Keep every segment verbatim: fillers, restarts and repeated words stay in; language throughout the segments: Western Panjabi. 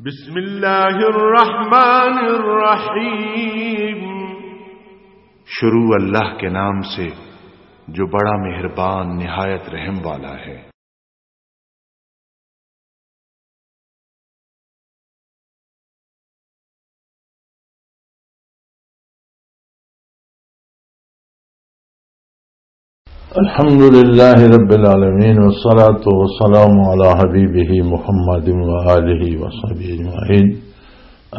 بسم اللہ الرحمن الرحیم۔ شروع اللہ کے نام سے جو بڑا مہربان نہایت رحم والا ہے۔ الحمد لله رب العالمين، والصلاة والسلام على حبيبه محمد وآله وصحبه أجمعين.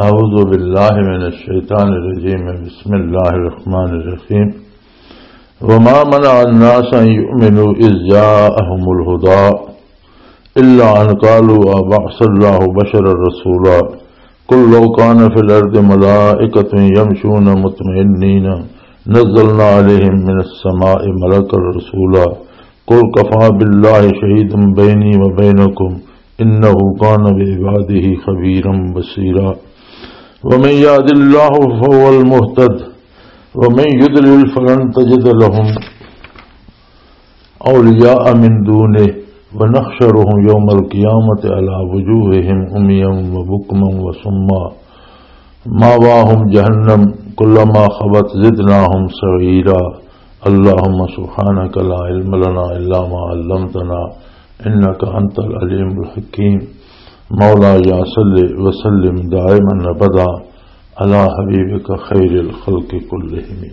أعوذ بالله من الشيطان الرجيم. بسم الله الرحمن الرحيم. وما منع الناس أن يؤمنوا إذ جاءهم الهدى إلا أن قالوا أبعث الله بشرا رسولا. قل لو كان في الأرض ملائكة يمشون مطمئنين نزلنا عليهم من السماء ملكا رسولا. قل كفى بالله شهيدا بيني وبينكم إنه كان بعباده خبيرا بصيرا. ومن يهد الله فهو المهتد ومن يضلل فلن تجد لهم أولياء من دونه ونحشرهم يوم القيامة على وجوههم عميا وبكما وصما مأواهم جهنم كلما خبت زدناهم سعيرا. اللهم سبحانك لا علم لنا إلا ما علمتنا إنك أنت العليم الحكيم. مولاي صل وسلم دائما أبدا على حبيبك خير الخلق كلهم.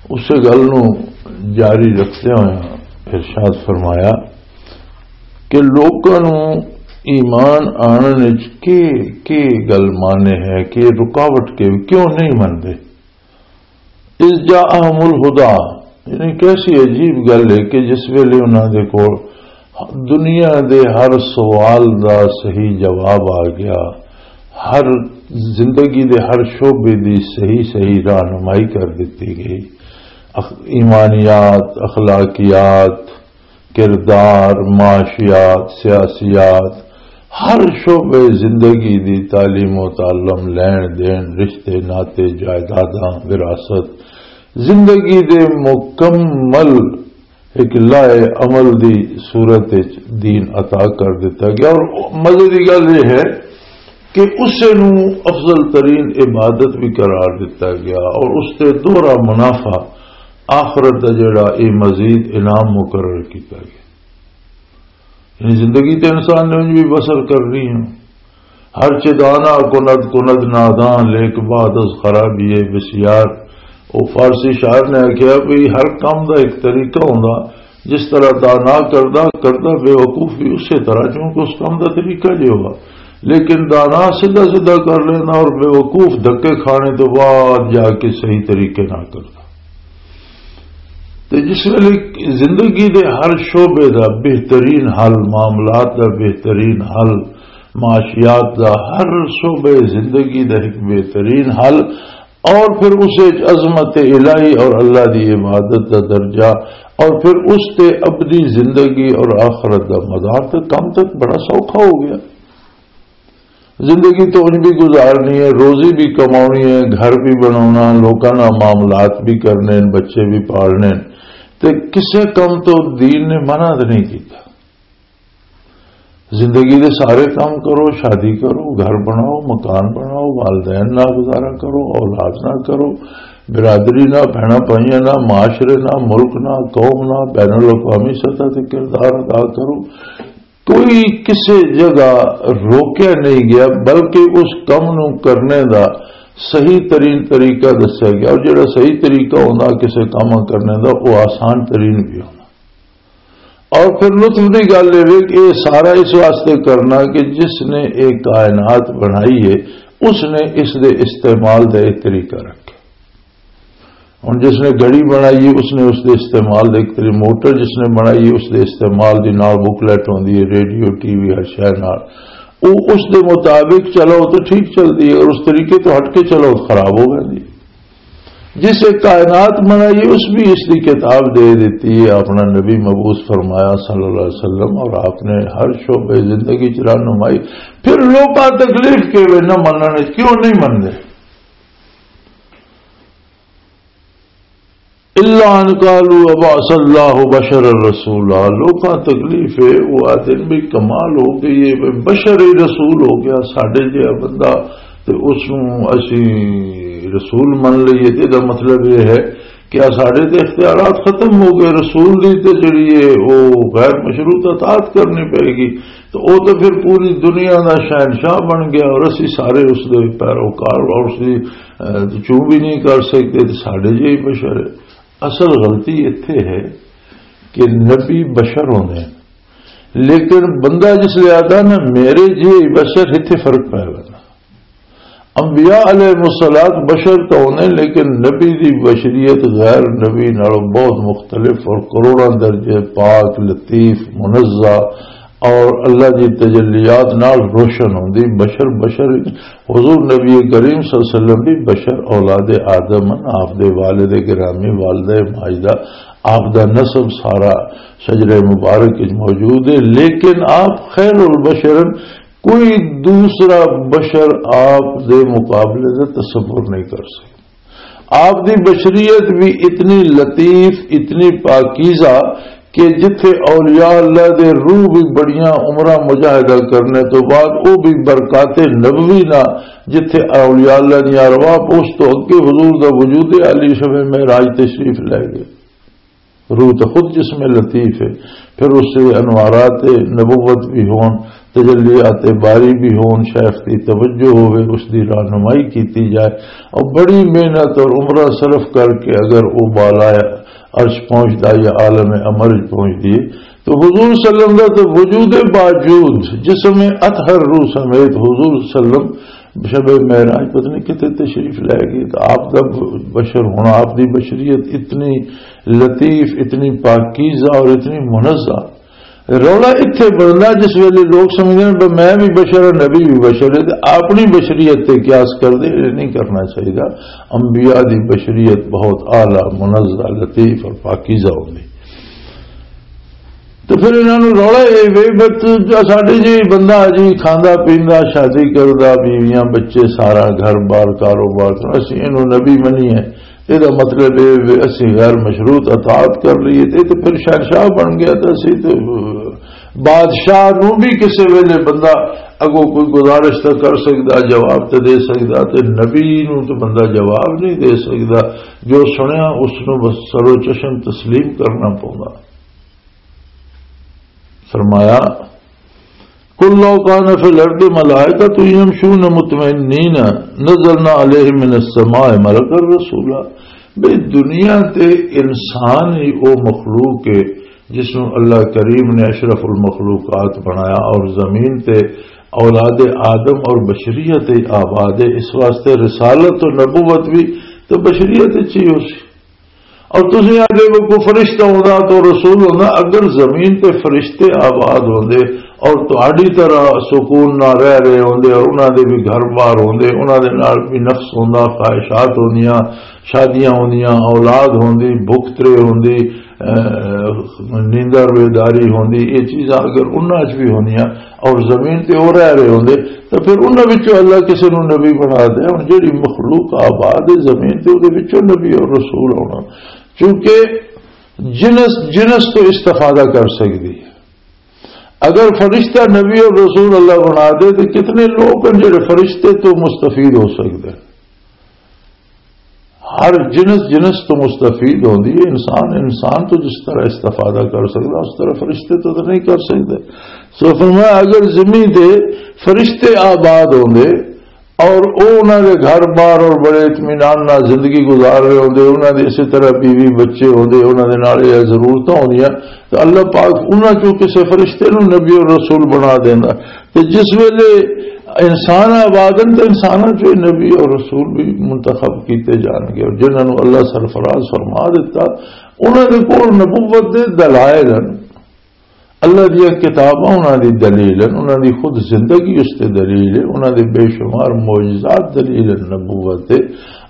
اسے گل نو جاری رکھدے ہوئے ارشاد فرمایا کہ لوکاں نو ایمان آنن وچ کی، کی گل مانے ہے کہ رکاوٹ کے کیوں نہیں مندے؟ اذ جاءہم الہدی، یعنی کیسی عجیب گل ہے کہ جس ویلے انہاں دے کول دنیا دے ہر سوال دا صحیح جواب آ گیا، ہر زندگی دے ہر شعبے دی صحیح صحیح رہنمائی کر دتی گئی۔ اخ-، ایمانیات، اخلاقیات، کردار، معاشیات، سیاسیات، ہر شعبے زندگی دی تعلیم و تعلم، لین دین، رشتے ناطے، جائیداداں، وراثت، زندگی دے مکمل ایک لائے عمل دی صورت وچ دین عطا کر دتا گیا۔ اور مزے دی گل یہ ہے کہ اسے نو افضل ترین عبادت بھی قرار دتا گیا اور اس تے دوہرا منافع آخرت دا جڑا اے مزید انعام مقرر کیتا گیا۔ یعنی زندگی تے انسان نے انج بھی بسر کرنی ہے۔ ہر چہ دانا کند کند نادان، لیک بعد از خرابی بسیار۔ او فارسی شاعر نے آکھیا بھی ہر کم دا ایک طریقہ ہوندا، جس طرح دانا کردا، کردا بے وقوف بھی اسی طرح، چونکہ اس کم دا طریقہ جے ہوگا۔ لیکن دانا سیدھا سیدھا کر لینا اور بے وقوف دھکے کھانے تو بعد جا کے صحیح طریقے نہ کردا۔ تے جس ویلے زندگی دے ہر شعبے دا بہترین حل، معاملات دا بہترین حل، معاشیات دا ہر شعبے زندگی دا ایک بہترین حل، اور پھر اس وچ عظمت الہی اور اللہ دی عبادت دا درجہ، اور پھر اس تے ابدی زندگی اور آخرت دا مدار، تے کم تک بڑا سوکھا ہو گیا۔ زندگی تو انج بھی گزارنی ہے، روزی بھی کماؤنی ہے، گھر بھی بناونا، لوکاں نال معاملات بھی کرنے، بچے بھی پالنے۔ تے کسے کم تو دین نے منع تے نہیں کیتا۔ زندگی دے سارے کام کرو، شادی کرو، گھر بناؤ، مکان بناؤ، والدین نال گزارا کرو، اولاد نال کرو، برادری نال، بہناں بھائیاں نال، معاشرے نال، ملک نال، قوم نال، بین الاقوامی سطح تے کردار ادا کرو۔ کوئی کسے جگہ روکیا نہیں گیا، بلکہ اس کم نو کرنے دا صحیح ترین طریقہ دسیا گیا، اور جڑا صحیح طریقہ ہوندا کسے کم کرنے دا، وہ آسان ترین بھی ہونا۔ اور پھر لطف دی گل یہ وے کہ یہ سارا اس واسطے کرنا کہ جس نے یہ کائنات بنائی ہے، اس نے اس دے استعمال دا ایک طریقہ رکھا۔ ہن جس نے گھڑی بنائی ہے، اس نے اس دے استعمال دے ایک طریقے، موٹر جس نے بنائی ہے، اس دے استعمال دی نال بکلیٹ ہوندی ہے، ریڈیو، ٹی وی، ہر شے نال۔ او اس دے مطابق چلاؤ تو ٹھیک چلدی ہے، اور اس طریقے تو ہٹ کے چلاؤ تو خراب ہو جاندی ہے۔ جس نے کائنات بنائی ہے، اس بھی اس دی کتاب دے دیتی ہے، اپنا نبی مبعوث فرمایا صلی اللہ علیہ وسلم، اور آپ نے ہر شعبے زندگی چ رہنمائی۔ پھر لوکاں تکلیف کے وے نہ مننے، کیوں نہیں مننے؟ الا ان قالوا ابعث اللہ بشر رسولا۔ لوکاں تکلیف ہے، وہ آتے ہیں بھی کمال ہو گئی ہے، بھی بشر ہی رسول ہو گیا، ساڈے جہا بندہ۔ تے اس نوں اسی رسول من لئیے، تے دا مطلب یہ ہے کہ آ ساڈے تے اختیارات ختم ہو گئے، رسول دی تے جڑی ہے وہ غیر مشروط اطاعت کرنی پئے گی۔ تو وہ تو پھر پوری دنیا دا شہنشاہ بن گیا اور اسی سارے اس دے پیروکار اور اس دی، اے، چوں بھی نہیں کر سکتے، تے ساڈے جہی بشر ہے۔ اصل غلطی اتھے ہے کہ نبی بشر ہوندے ہیں، لیکن بندہ جس لے آتا نا میرے جہی بشر، اتھے فرق پے گا۔ انبیاء علیہ الصلوۃ بشر تو ہوندے، لیکن نبی دی بشریت غیر نبی نالوں بہت مختلف اور کروڑاں درجے پاک، لطیف، منزہ اور اللہ دی تجلیات نال روشن ہوندی۔ بشر، بشر، حضور نبی کریم صلی اللہ علیہ وسلم بھی بشر، اولاد آدم ہن، آپ دے والد گرامی، والدہ ماجدہ، آپ دا نسب سارا شجرہ مبارک وچ موجود ہے، لیکن آپ خیر البشر ہن۔ کوئی دوسرا بشر آپ دے مقابلے دا تصور نہیں کر سکتا۔ آپ دی بشریت بھی اتنی لطیف، اتنی پاکیزہ کہ جتھے اولیاء اللہ دے روح بھی بڑیاں عمراں مجاہدہ کرنے تو بعد وہ بھی برکات نبوی نہ، جتھے اولیاء اللہ دی ارواح پہنچ تو اگے حضور دا وجود عالی شب معراج تشریف لے گئے۔ روح تو خود جسم لطیف ہے، پھر اس سے انوارات نبوت بھی ہون، تجلیات باری بھی ہون، شیخ دی توجہ ہوئے، اس دی رہنمائی کیتی جائے، اور بڑی محنت اور عمرہ صرف کر کے اگر وہ بالا عرش پہنچدا یا عالم امر پہنچدی ہے، تو حضور صلی اللہ علیہ وسلم دا تو وجود باوجود جسم اطہر روح سمیت حضور صلی اللہ علیہ وسلم شب معراج پتہ نہیں کتنے تشریف لے گئے۔ تو آپ دا بشر ہونا، آپ دی بشریت اتنی لطیف، اتنی پاکیزہ اور اتنی منزہ۔ رولا اتھے بندا جس ویلے لوگ سمجھدے نے، "بس میں بھی بشر ہاں، نبی بھی بشر ہے"، تے اپنی بشریت تے قیاس کر دے، یہ نہیں کرنا چاہیے۔ انبیاء دی بشریت بہت اعلیٰ، منزہ، لطیف اور پاکیزہ ہوندی۔ تو پھر انہاں نوں رولا اے وے، بس ساڈے جے بندہ جی کھاندا پیندا، شادی کردا، بیویاں، بچے، سارا گھر بار، کاروبار، تو اسی اینوں نبی منیے۔ یہ مطلب اے وے اسی غیر مشروط اطاعت کر لئیے، تے تے پھر شہنشاہ بن گیا۔ تے اسی تے بادشاہ نوں بھی کسے ویلے بندہ اگوں کوئی گزارش تے کر سکدا، جواب تے دے سکدا، تے نبی نوں تے بندہ جواب نہیں دے سکدا۔ جو سنیا اس نوں بس سرو چشم تسلیم کرنا پوندا۔ فرمایا، "قل لو کان فی الارض ملائکۃ یمشون مطمئنین نزلنا علیہم من السماء ملکا رسولا۔" بھئی، دنیا تے انسان ہی او مخلوق ہے جس نوں اللہ کریم نے اشرف المخلوقات بنایا، اور زمین تے اولاد آدم اور بشریت آباد ہے۔ اس واسطے رسالت و نبوت بھی تو بشریت وچ ہی ہو سی۔ اور تسی آدھے وہ کوئی فرشتہ ہوندا تو رسول ہوندا۔ اگر زمین تے فرشتے آباد ہوندے اور تہاڈی طرح سکون نہ رہ رہے ہوندے اور انہاں دے بھی گھر بار ہوندے، انہاں دے نال بھی نفس ہوندا، خواہشات ہوندیاں، شادیاں ہوندیاں، اولاد ہوندی، بھوک ترے ہوندی، اے، نیندر بیداری ہوندی، یہ چیزاں اگر انہاں چ بھی ہوندیاں اور زمین تے ہو رہ رہے ہوندے، تو پھر انہاں وچوں اللہ کسے نوں نبی بنا دے۔ ہن جڑی مخلوق آباد ہے زمین تے، اودے وچوں نبی اور رسول ہونا، کیونکہ جنس، جنس تو استفادہ کر سکدی ہے۔ اگر فرشتہ نبی اور رسول اللہ بنا دے، تو کتنے لوگ ہیں جڑے فرشتے تو مستفید ہو سکتے ہیں۔ ہر جنس جنس تو مستفید ہوندی ہے۔ انسان انسان تو جس طرح استفادہ کر سکدا، اس طرح فرشتے تو، تو نہیں کر سکدے۔ سو فرمایا، اگر زمین تے فرشتے آباد ہوندے اور او انہاں دے گھر بار اور بڑے اطمینان نال زندگی گزار رہے ہوندے، انہاں دے اسی طرح بیوی بچے ہوندے، انہاں دے نال یہ ضرورتاں ہوندیاں، تو اللہ پاک انہاں چوں کسے فرشتے نوں نبی اور رسول بنا دیندا۔ تے جس ویلے انسان آباد ہن، تے انساناں چوں نبی اور رسول بھی منتخب کیتے جان گے، اور جنہاں نوں اللہ سرفراز فرما دیتا، انہاں دے کول نبوت دے دلائل ہن، اللہ دیاں کتاباں انہاں دی دلیل ہن، انہاں دی خود زندگی اس تے دلیل ہے، انہاں دے بے شمار معجزات دلیل ہن نبوت دے،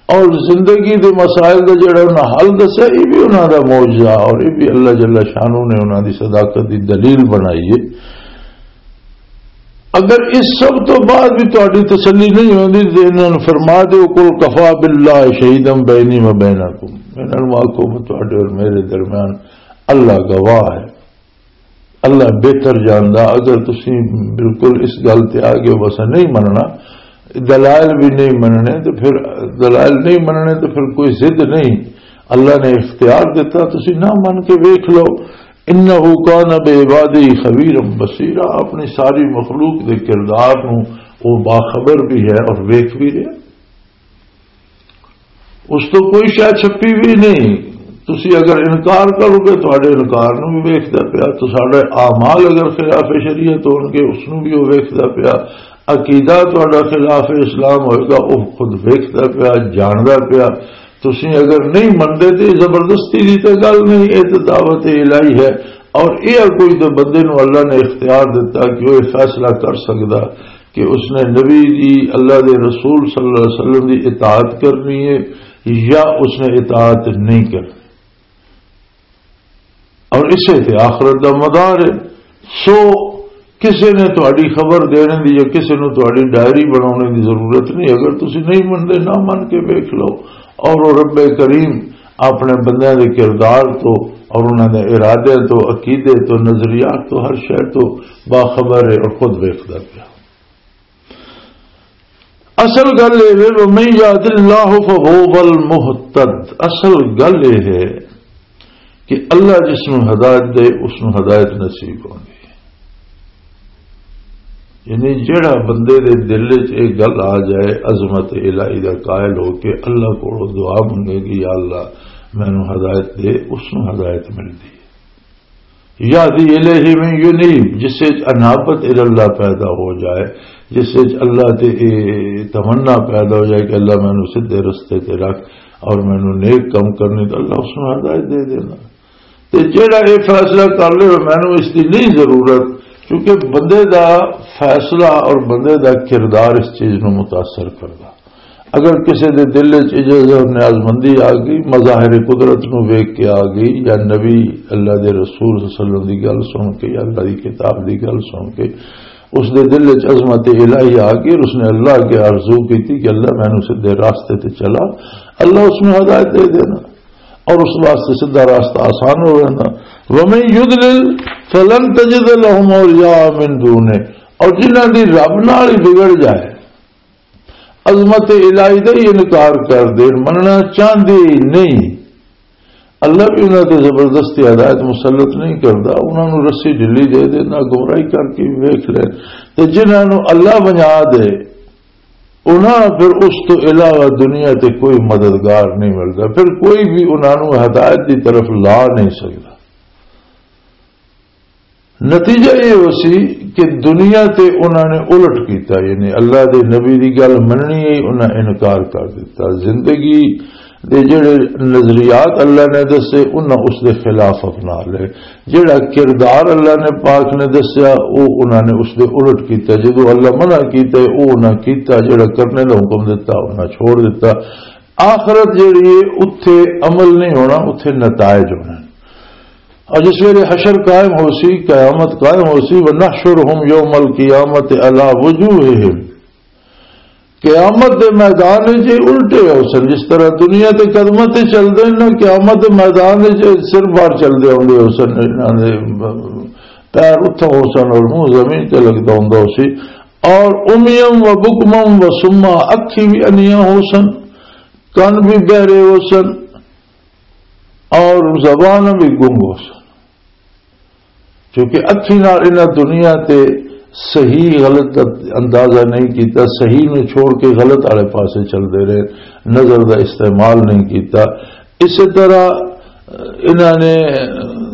اور زندگی دے مسائل دا جڑا انہاں حل دسیا، یہ بھی انہاں دا معجزہ، اور یہ بھی اللہ جل شانہ نے انہاں دی صداقت دی دلیل بنائی ہے۔ اگر اس سب تو بعد بھی تہاڈی تسلی نہیں ہوندی، تے انہاں نوں فرما دیو، "قل کفی باللہ شہیدا بینی و بینکم۔" انہاں نوں آکھو، "تہاڈے اور میرے درمیان اللہ گواہ ہے، اللہ بہتر جاندا۔" اگر تسی بالکل اس گل تے آ گئے، بس نہیں مننا، دلائل بھی نہیں مننے، تو پھر دلائل نہیں مننے تو پھر کوئی ضد نہیں۔ اللہ نے اختیار دیتا، تسی نہ من کے ویکھ لو۔ "انہ کان بعبادہ خبیرا بصیرا"، اپنی ساری مخلوق دے کردار نو وہ باخبر بھی ہے اور ویکھ بھی رہا۔ اس تو کوئی شے چھپی بھی نہیں۔ تسی اگر انکار کرو گے، تہاڈے انکار نو بھی ویکھدا پیا۔ تساڈے اعمال اگر خلاف شریعت ہون گے، اس نو بھی وہ ویکھدا پیا۔ عقیدہ تہاڈا خلاف اسلام ہوئے گا، وہ خود ویکھدا پیا، جاندا پیا۔ تسی اگر نہیں مندے تے زبردستی دی تے گل نہیں، یہ تے دعوت الہی ہے۔ اور یہ کوئی تے بندے نو اللہ نے اختیار دیتا کہ وہ یہ فیصلہ کر سکدا کہ اس نے نبی دی، اللہ دے رسول صلی اللہ علیہ وسلم دی اطاعت کرنی ہے یا اس نے اطاعت نہیں کرنی۔ اور اسے تے آخرت دا مدار ہے۔ سو کسے نے تہاڈی خبر دینے دی یا کسے نو تہاڈی ڈائری بنانے دی ضرورت نہیں۔ اگر تسی نہیں مندے، نہ من کے ویکھ لو۔ اور وہ رب کریم اپنے بندیاں دے کردار تو اور انہاں دے ارادے تو، عقیدے تو، نظریات تو، ہر شے تو باخبر ہے اور خود ویکھدا پیا۔ اصل گل یہ ہے، "ومن یہد اللہ فہو المہتد۔" اصل گل یہ ہے کہ اللہ جس نوں ہدایت دے، اس نوں ہدایت نصیب ہوندی ہے۔ یعنی جڑا بندے دے دل وچ ایک گل آ جائے، عظمت الہی دا قائل ہو کے اللہ کولوں دعا منگے کہ "یا اللہ، مینوں ہدایت دے"، اس نوں ہدایت ملدی ہے۔ یہدی الیہ من ینیب، جس وچ انابت الی اللہ پیدا ہو جائے، جس وچ اللہ تے اے تمنا پیدا ہو جائے کہ "اللہ، مینوں سیدھے رستے تے رکھ اور مینوں نیک کم کرنے"، تو اللہ اس نوں ہدایت دے دینا۔ تے جیڑا اے فیصلہ کر لے، "مینوں اس دی نہیں ضرورت"، کیونکہ بندے دا فیصلہ اور بندے دا کردار اس چیز نوں متاثر کردا۔ اگر کسی دے دل وچ عجز اور نیاز مندی آ گئی، مظاہر قدرت نو ویکھ کے آ گئی، یا نبی اللہ دے رسول صلی اللہ علیہ وسلم دی گل سن کے، یا اللہ دی کتاب دی گل سن کے اس دے دل وچ عظمت الہی آ گئی اور اس نے اللہ کے آرزو کی تھی کہ "اللہ، مینوں سیدھے راستے تے چلا"، اللہ اس نو ہدایت دے دینا اور اس واسطے سیدھا راستہ آسان ہو جانا۔ "ومن یضلل فلن تجد لهم اولیاء من دونه"، اور جنہاں دی رب نال ہی بگڑ جائے، عظمت الہی دا ہی انکار کر دین، مننا چاہندے ہی نہیں۔ اللہ بھی انہاں تے زبردستی ہدایت مسلط نہیں کردا، انہاں نوں رسی ڈھلی دے دیندا، گمراہی کر کے ویکھ لے۔ تے جنہاں نوں اللہ بنا دے، انہاں پھر اس تو علاوہ دنیا تے کوئی مددگار نہیں ملدا، پھر کوئی بھی انہاں نوں ہدایت دی طرف لا نہیں سکدا۔ نتیجہ یہ ہو سی کہ دنیا تے انہاں نے الٹ کیتا، یعنی اللہ دے نبی دی گل مننی ہے، انہاں انکار کر دیتا۔ زندگی دے جڑے نظریات اللہ نے دسے، انہاں اس دے خلاف اپنا لے۔ جڑا کردار اللہ نے پاک نے دسیا، او انہاں نے اس دے الٹ کیتا۔ جدوں اللہ منع کیتا، او انہاں کیتا۔ جڑا کرنے دا حکم دیتا، انہاں چھوڑ دیتا۔ آخرت جڑی ہے، اتھے عمل نہیں ہونا، اتھے نتائج ہونے۔ اور جس ویلے حشر قائم ہو سی، قیامت قائم ہو سی، "ونحشرہم یوم القیامت علی وجوہہم"، قیامت دے میدان وچ یہ الٹے ہو سن، جس طرح دنیا تے قدماں تے چلدے نے، قیامت دے میدان وچ یہ سر بار چلدے ہوندے ہو سن، انہاں دے پیر اتھاں ہو سن اور منہ زمین تے لگدا ہوندا ہو سی۔ اور عمیاں و بکماں و صماں، اکھی بھی انیاں ہو سن، کن بھی بہرے ہو سن، اور زبان بھی گنگ ہو سن، کیونکہ اکھی نال انہاں دنیا تے صحیح غلط دا اندازہ نہیں کیتا، صحیح نو چھوڑ کے غلط والے پاسے چلدے رہے، نظر دا استعمال نہیں کیتا۔ اسی طرح انہاں نے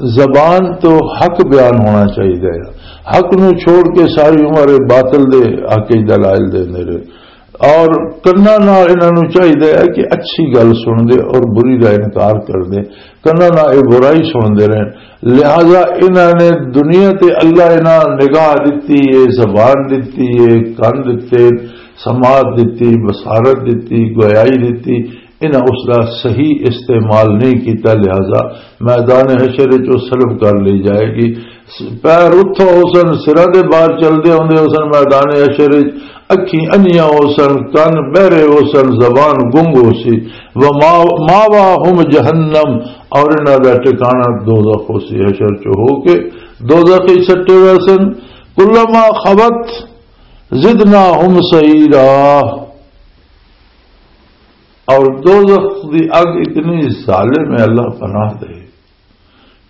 زبان تو حق بیان ہونا چاہیے، حق نو چھوڑ کے ساری عمر باطل دے حق وچ دلائل دیندے رہے۔ اور کناں نال انہاں نوں چاہیدا ہے کہ اچھی گل سن دے اور بری دا انکار کر دے۔ کناں نال یہ برائی سن دے رہن، لہذا انہاں نے دنیا تے اللہ انہاں نگاہ دتی ہے، زبان دتی ہے، کن دتے، سماعت دتی، بصارت دتی، گویائی دتی۔ انہاں اس دا صحیح استعمال نہیں کیتا، لہذا میدان حشر وچ او سلب کر لی جائے گی۔ پیر اتھوں ہوسن، سراں دے باہر چلدے ہوندے ہوسن میدان حشر وچ، اکھیں انیاں ہوسن، کن بہرے ہوسن، زبان گنگ ہوسی۔ وما-، ماواہم جہنم، اور انہاں دا ٹھکانہ دوزخ ہوسی، حشر چ ہو کے دوزخ وچ سٹے ویسن۔ کلما خبت زدناہم سعیرا، اور دوزخ دی اگ اتنی ظالم ہے، اللہ پناہ دے،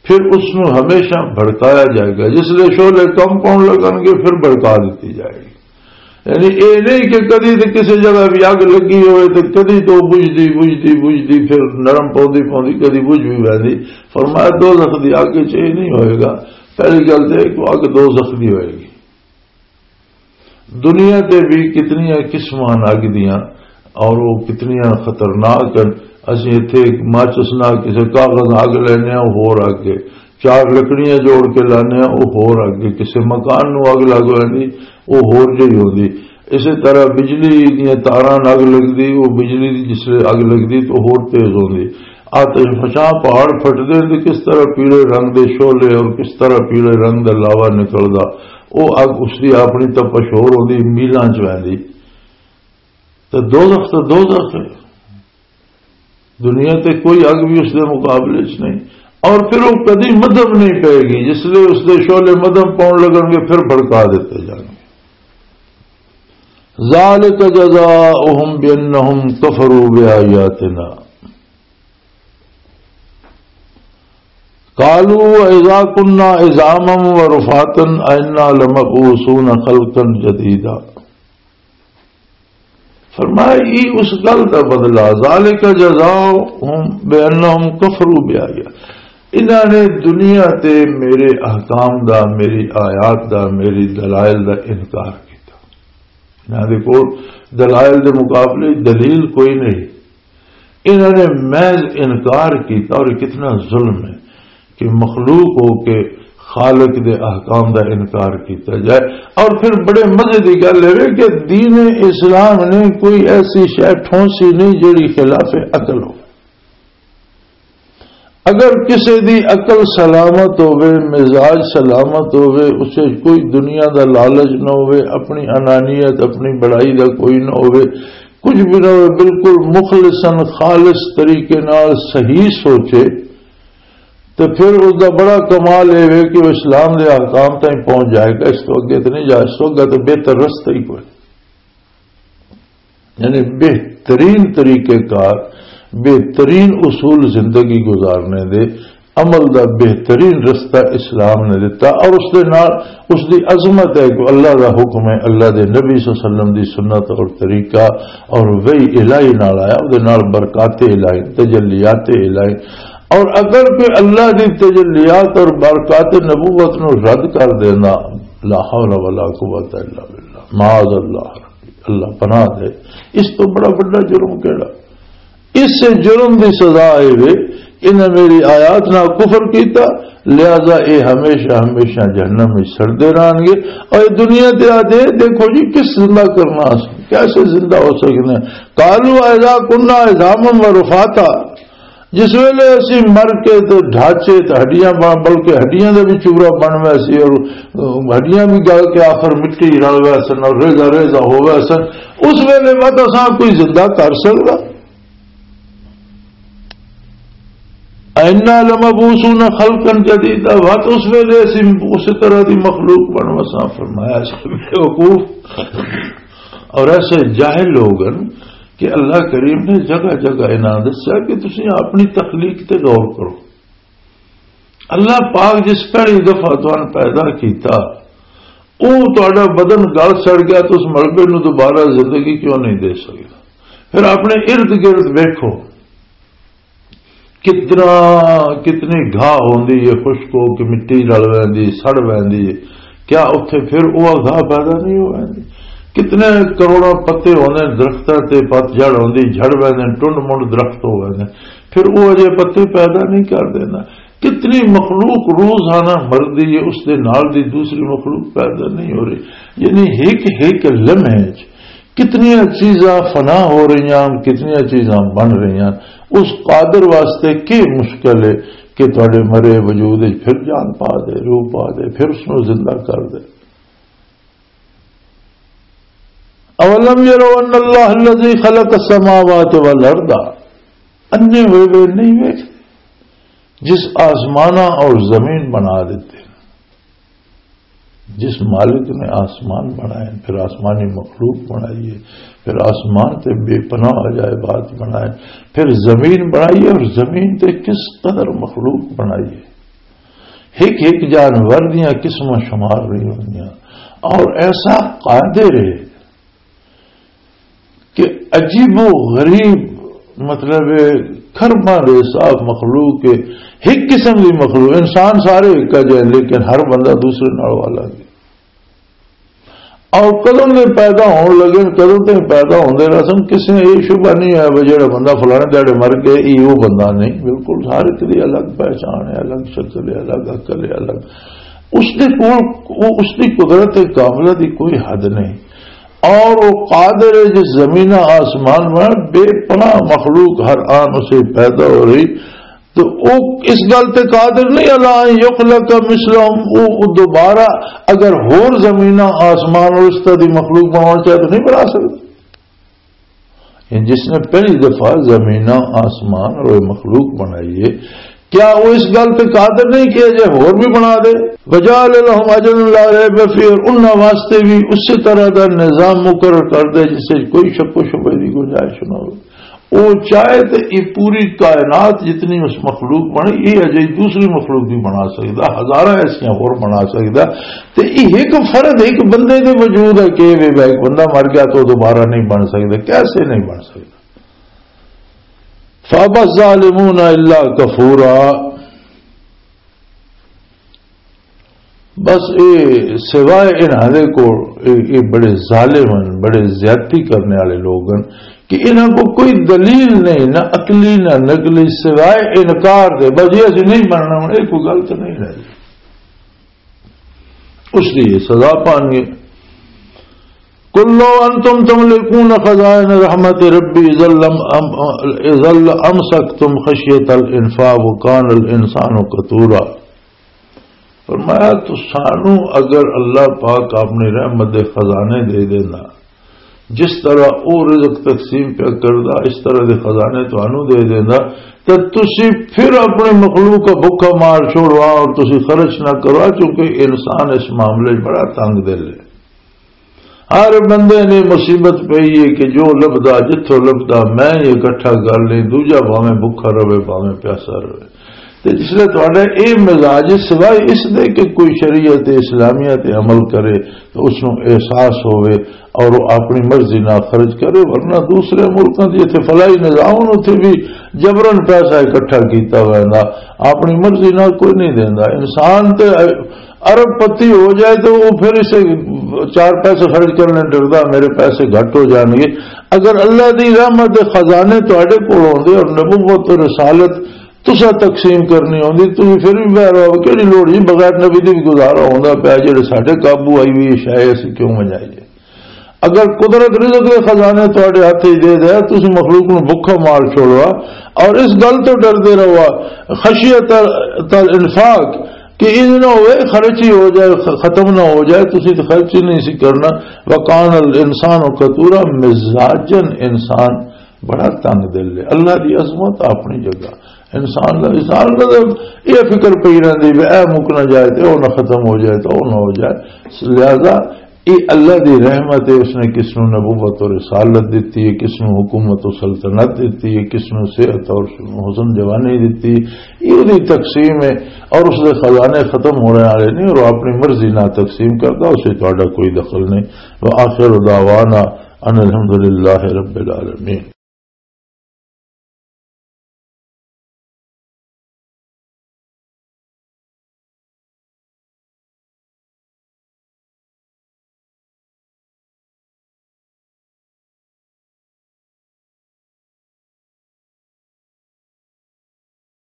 پھر اس نو ہمیشہ بھڑکایا جائے گا۔ جس لے شعلے کم پاؤن لگن گے، پھر بھڑکا دتی جائے گی۔ یعنی اے نہیں کہ کدی تے کسی جگہ بھی اگ لگی ہوئے تے کدی تو بجھدی بجھدی بجھدی پھر نرم پوندی پوندی کدی بجھ بھی ویندی۔ فرمایا دوزخ دی اگ وچ اے نہیں ہوئے گا۔ پہلی گل تے کہ اگ دوزخ دی ہوئے گی۔ دنیا تے بھی کتنیاں قسماں اگ دیاں، اور وہ کتنیاں خطرناک ہیں۔ اسی اتھے ایک ماچس نال کسے کاغذ اگ لینے ہاں، وہ ہور اگ ہے۔ چار لکڑیاں جوڑ کے لانے ہاں، وہ ہور اگ ہے۔ کسے مکان نو اگ لگ ویندی، وہ ہور جہی ہوندی۔ اسی طرح بجلی دیاں تاراں نال اگ لگدی، وہ بجلی دی جس لے اگ لگدی تو ہور تیز ہوندی۔ آتش فشاں پہاڑ پھٹدے تے کس طرح پیلے رنگ دے شعلے اور کس طرح پیلے رنگ دا لاوا نکلدا، او اگ اس دی اپنی تپش ہور ہوندی، میلاں چ ویندی۔ تے دوزخ تے دوزخ ہے، دنیا تے کوئی اگ بھی اس دے مقابلے چ نہیں۔ اور پھر وہ کدی مدھم نہیں پائے گی، جس لئے اس دے شعلے مدھم پاؤن لگن گے، پھر بھڑکا دیتے جان گے۔ ذالک جزاؤہم بانہم کفروا بآیاتنا۔ قالوا اذا كنا عظاما ورفاتا ائنا لمبعوثون خلقا جديدا۔ فرمایا، یہ اس گل دا بدلہ، ذالک جزاؤہم بانہم کفروا بآیات، انہاں نے دنیا تے میرے احکام دا، میری آیات دا، میری دلائل دا انکار کیتا۔ انہاں دے کول دلائل دے مقابلے دلیل کوئی نہیں۔ انہوں نے محض انکار کیتا، اور یہ کتنا ظلم ہے کہ مخلوق ہو کے خالق دے احکام دا انکار کیتا جائے۔ اور پھر بڑے مزے دی گل ہے کہ دین اسلام نے کوئی ایسی شے ٹھونسی نہیں جڑی خلاف عقل ہو۔ اگر کسے دی عقل سلامت ہووے، مزاج سلامت ہووے، اسے کوئی دنیا دا لالچ نہ ہووے، اپنی انانیت، اپنی بڑائی دا کوئی نہ ہووے، کچھ بھی نہ ہووے، بالکل مخلصاً خالص طریقے نال صحیح سوچے، تے پھر اس دا بڑا کمال اے وے کہ وہ اسلام دے احکام تائیں پہنچ جائے گا۔ اس تو اگے تے نہیں جا، اس تو اگے تے بہتر رستہ ہی کوئی۔ یعنی بہترین طریقہ کار، بہترین اصول زندگی گزارنے دے، عمل دا بہترین رستہ اسلام نے دتا۔ اور اس دے نال اس دی عظمت ہے کہ اللہ دا حکم ہے، اللہ دے نبی صلی اللہ علیہ وسلم دی سنت اور طریقہ، اور وحی الہی نال آیا، اس دے نال برکات الہی، تجلیات الہی۔ اور اگر کوئی اللہ دی تجلیات اور برکات نبوت نو رد کر دینا، لا حول ولا قوت الا باللہ، معاذ اللہ، اللہ پناہ دے، اس تو بڑا بڑا جرم کیڑا؟ اس جرم دی سزا اے وے، انہاں میری آیات نال کفر کیتا، لہذا اے ہمیشہ ہمیشہ جہنم وچ سڑدے رہن گے۔ اور اے دنیا تے آ جائے، دیکھو جی کس زندہ کرنا اسی، کیسے زندہ ہو سکتے ہیں؟ قالوا اذا كنا عظاما ورفاتا، جس ویلے اسی مر کے تے ڈھانچے تے ہڈیاں بن، بلکہ ہڈیاں دے بھی چورا بن ویسی اور، اہ، ہڈیاں بھی گل کے آخر مٹی رل ویسن اور ریزہ ریزہ ہو ویسن، اس ویلے مت اساں کوئی زندہ کر سکدا؟ انا لمبعوثون خلقا جدیدا، وقت اس ویلے اسی اس طرح دی مخلوق بن وساں۔ فرمایا، اے بیوقوف اور ایسے جاہل لوگ ہیں کہ اللہ کریم نے جگہ جگہ انہاں دسیا کہ تسی اپنی تخلیق تے غور کرو۔ اللہ پاک جس پہلی دفعہ تانوں پیدا کیتا، او تہاڈا بدن گل سڑ گیا، تو اس ملبے نو دوبارہ زندگی کیوں نہیں دے سکدا؟ پھر اپنے ارد گرد ویکھو، کتنا، کتنی گھاہ ہوندی ہے، خشک ہو کے مٹی رل ویندی، سڑ ویندی ہے۔ کیا اتھے پھر وہ گھاہ پیدا نہیں ہو ویندی؟ کتنے کروڑاں پتے ہوندے درختاں تے، پت جھڑ ہوندی، جھڑ ویندے، ٹنڈ منڈ درخت ہو ویندے، پھر وہ اجے پتے پیدا نہیں کر دیندا؟ کتنی مخلوق روزانہ مردی ہے، اس دے نال دی دوسری مخلوق پیدا نہیں ہو رہی۔ یعنی ہک ہک لمحے چ کتنیاں چیزاں فنا ہو رہی ہیں، کتنیاں چیزاں بن رہی ہیں۔ اس قادر واسطے کی مشکل ہے کہ تھوڑے مرے وجود وچ پھر جان پا دے، روح پا دے، پھر اس نوں زندہ کر دے؟ اولم یروا ان اللہ الذی خلق السماوات والارض، انے ہوئے ہوئے نہیں ویکھتے جس آسماناں اور زمین بنا دیتے ہیں، جس مالک نے آسمان بنائے، پھر آسمانی مخلوق بنائی ہے، پھر آسمان تے بے پناہ عجائبات بنائے، پھر زمین بنائی ہے، اور زمین تے کس قدر مخلوق بنائی ہے، ایک ایک جانور دیاں قسماں شمار نہیں ہوندیاں، اور ایسا قادر ہے کہ عجیب و غریب، مطلب، کرماں دے صاف مخلوق کے، ایک قسم دی مخلوق، انسان سارے ایک جائے، لیکن ہر بندہ دوسرے نال والا ہے۔ اور کدوں دے پیدا ہون لگے، کدوں تے پیدا ہوندے رہسن، کسے نوں یہ شبہ نہیں ہے بھی جڑا بندہ فلانے دہاڑے مر گئے، یہ وہ بندہ نہیں۔ بالکل ہر ایک دی الگ پہچان ہے، الگ شکل ہے، الگ عقل ہے، الگ۔ اس دے کول، وہ اس دی قدرت کاملہ دی کوئی حد نہیں۔ اور وہ قادر ہے جس زمین آسمان میں بے پناہ مخلوق ہر آن اسے پیدا ہو رہی، تو وہ اس گل تے قادر نہیں، اللہ ان یخلق مثلہم، وہ، وہ دوبارہ اگر ہور زمین آسمان اور اس طرح دی مخلوق بنانا چاہے تو نہیں بنا سکتا۔ یعنی جس نے پہلی دفعہ زمیناں، آسمان اور مخلوق بنائی ہے، کیا وہ اس گل تے قادر نہیں کہ اجے ہور بھی بنا دے؟ وجعل لهم اجلا لا ریب فیہ، اور انہاں واسطے بھی اسی طرح دا نظام مقرر کر دے جس سے کوئی شک و شبہ دی گنجائش نہ ہو۔ وہ چاہے تے یہ پوری کائنات جتنی اس مخلوق بنی، یہ اجے دوسری مخلوق بھی بنا سکدا، ہزاراں ایسیاں ہور بنا سکدا۔ تے یہ ایک فرد، ایک بندے دے وجود ہے کہ وے ایک بندہ مر گیا تو دوبارہ نہیں بن سکدا، کیسے نہیں بن سکدا؟ فَأَبَى الظَّالِمُونَ إِلَّا كَفُورًا۔ بس اے سوائے انہاں دے کول، اے، اے بڑے ظالم ہن، بڑے زیادتی کرنے والے لوگ ہن کہ انہاں کو کوئی دلیل نہیں، نہ عقلی نہ نقلی، سوائے انکار دے۔ بس یہ اسی نہیں بننا، ہن یہ کوئی گل تو نہیں رہ گئی۔ اس لیے سزا پان گے۔ قل لو انتم تملکون خزائن رحمت ربی اذا لم ام-، اذا لامسکتم خشیت الانفاق وکان الانسان قتورا۔ فرمایا، تو سانو اگر اللہ پاک اپنی رحمت دے خزانے دے دینا، جس طرح او رزق تقسیم پیا کردا، اس طرح دے خزانے تانوں دے دیندا، تے تسی پھر اپنی مخلوق کا بھوکا مار چھوڑوا اور تسی خرچ نہ کروا، کیونکہ انسان اس معاملے 'چ بڑا تنگ دل ہے۔ ہر بندے نے مصیبت پئی ہے کہ جو لبدا، جتھوں لبدا، میں یہ اکٹھا کر لیں، دوجا بھاویں بھوکا رہے، بھاویں پیاسا رہے۔ تے جس لے تہاڈا اے مزاج ہے، سوائے اس دے کہ کوئی شریعت اسلامیہ تے عمل کرے، تو اس نوں احساس ہوئے اور وہ اپنی مرضی نہ خرچ کرے، ورنہ دوسرے ملکاں دی اتھے فلاحی نظام، اتھے بھی جبرن پیسہ اکٹھا کیتا ہوا ہے، اپنی مرضی نہ کوئی نہیں دیندا۔ انسان تے ارب پتی ہو جائے تو وہ پھر اسے چار پیسے خرچ کرنے ڈردا، میرے پیسے گھٹ ہو جان گے۔ اگر اللہ دی رحمت دے خزانے تہاڈے کول ہوندے اور نبوت اور رسالت تسا تقسیم کرنی ہوندی، تسی پھر بھی بہر ہو، کیڑی لوڑ جی، بغیر نبی دی بھی گزارا ہوندا پیا، جڑے ساڈے قابو آئی ہوئی شے اسی کیوں منجائیے؟ اگر قدرت رزق دے خزانے تہاڈے ہاتھ وچ دے دے، تسی مخلوق نوں بھکھا مار چھوڑوا اور اس گل تو ڈردے رہوا، خشیت الانفاق، کہ یہ نہ ہوئے خرچ ہی ہو جائے، خ-، ختم نہ ہو جائے، تسی تو خرچ ہی نہیں سی کرنا۔ وکان الانسان قتورا، مزاجن انسان بڑا تنگ دل ہے۔ اللہ دی عظمت اپنی جگہ، انسان دا، انسان دا تے یہ فکر پئی رہندی بھی اے مکنا جائے تے او نہ ختم ہو جائے تے او نہ ہو جائے۔ لہذا یہ اللہ دی رحمت ہے، اس نے کس نو نبوت اور رسالت دیتی ہے، کس نو حکومت و سلطنت دیتی ہے، کس نو صحت اور حسن جوانی دیتی ہے۔ یہ دی تقسیم ہے اور اس دے خزانے ختم ہونے والے نہیں اور وہ اپنی مرضی نہ تقسیم کرتا، اسے تہاڈا کوئی دخل نہیں۔ وآخر دعوانا ان الحمدللہ رب العالمین۔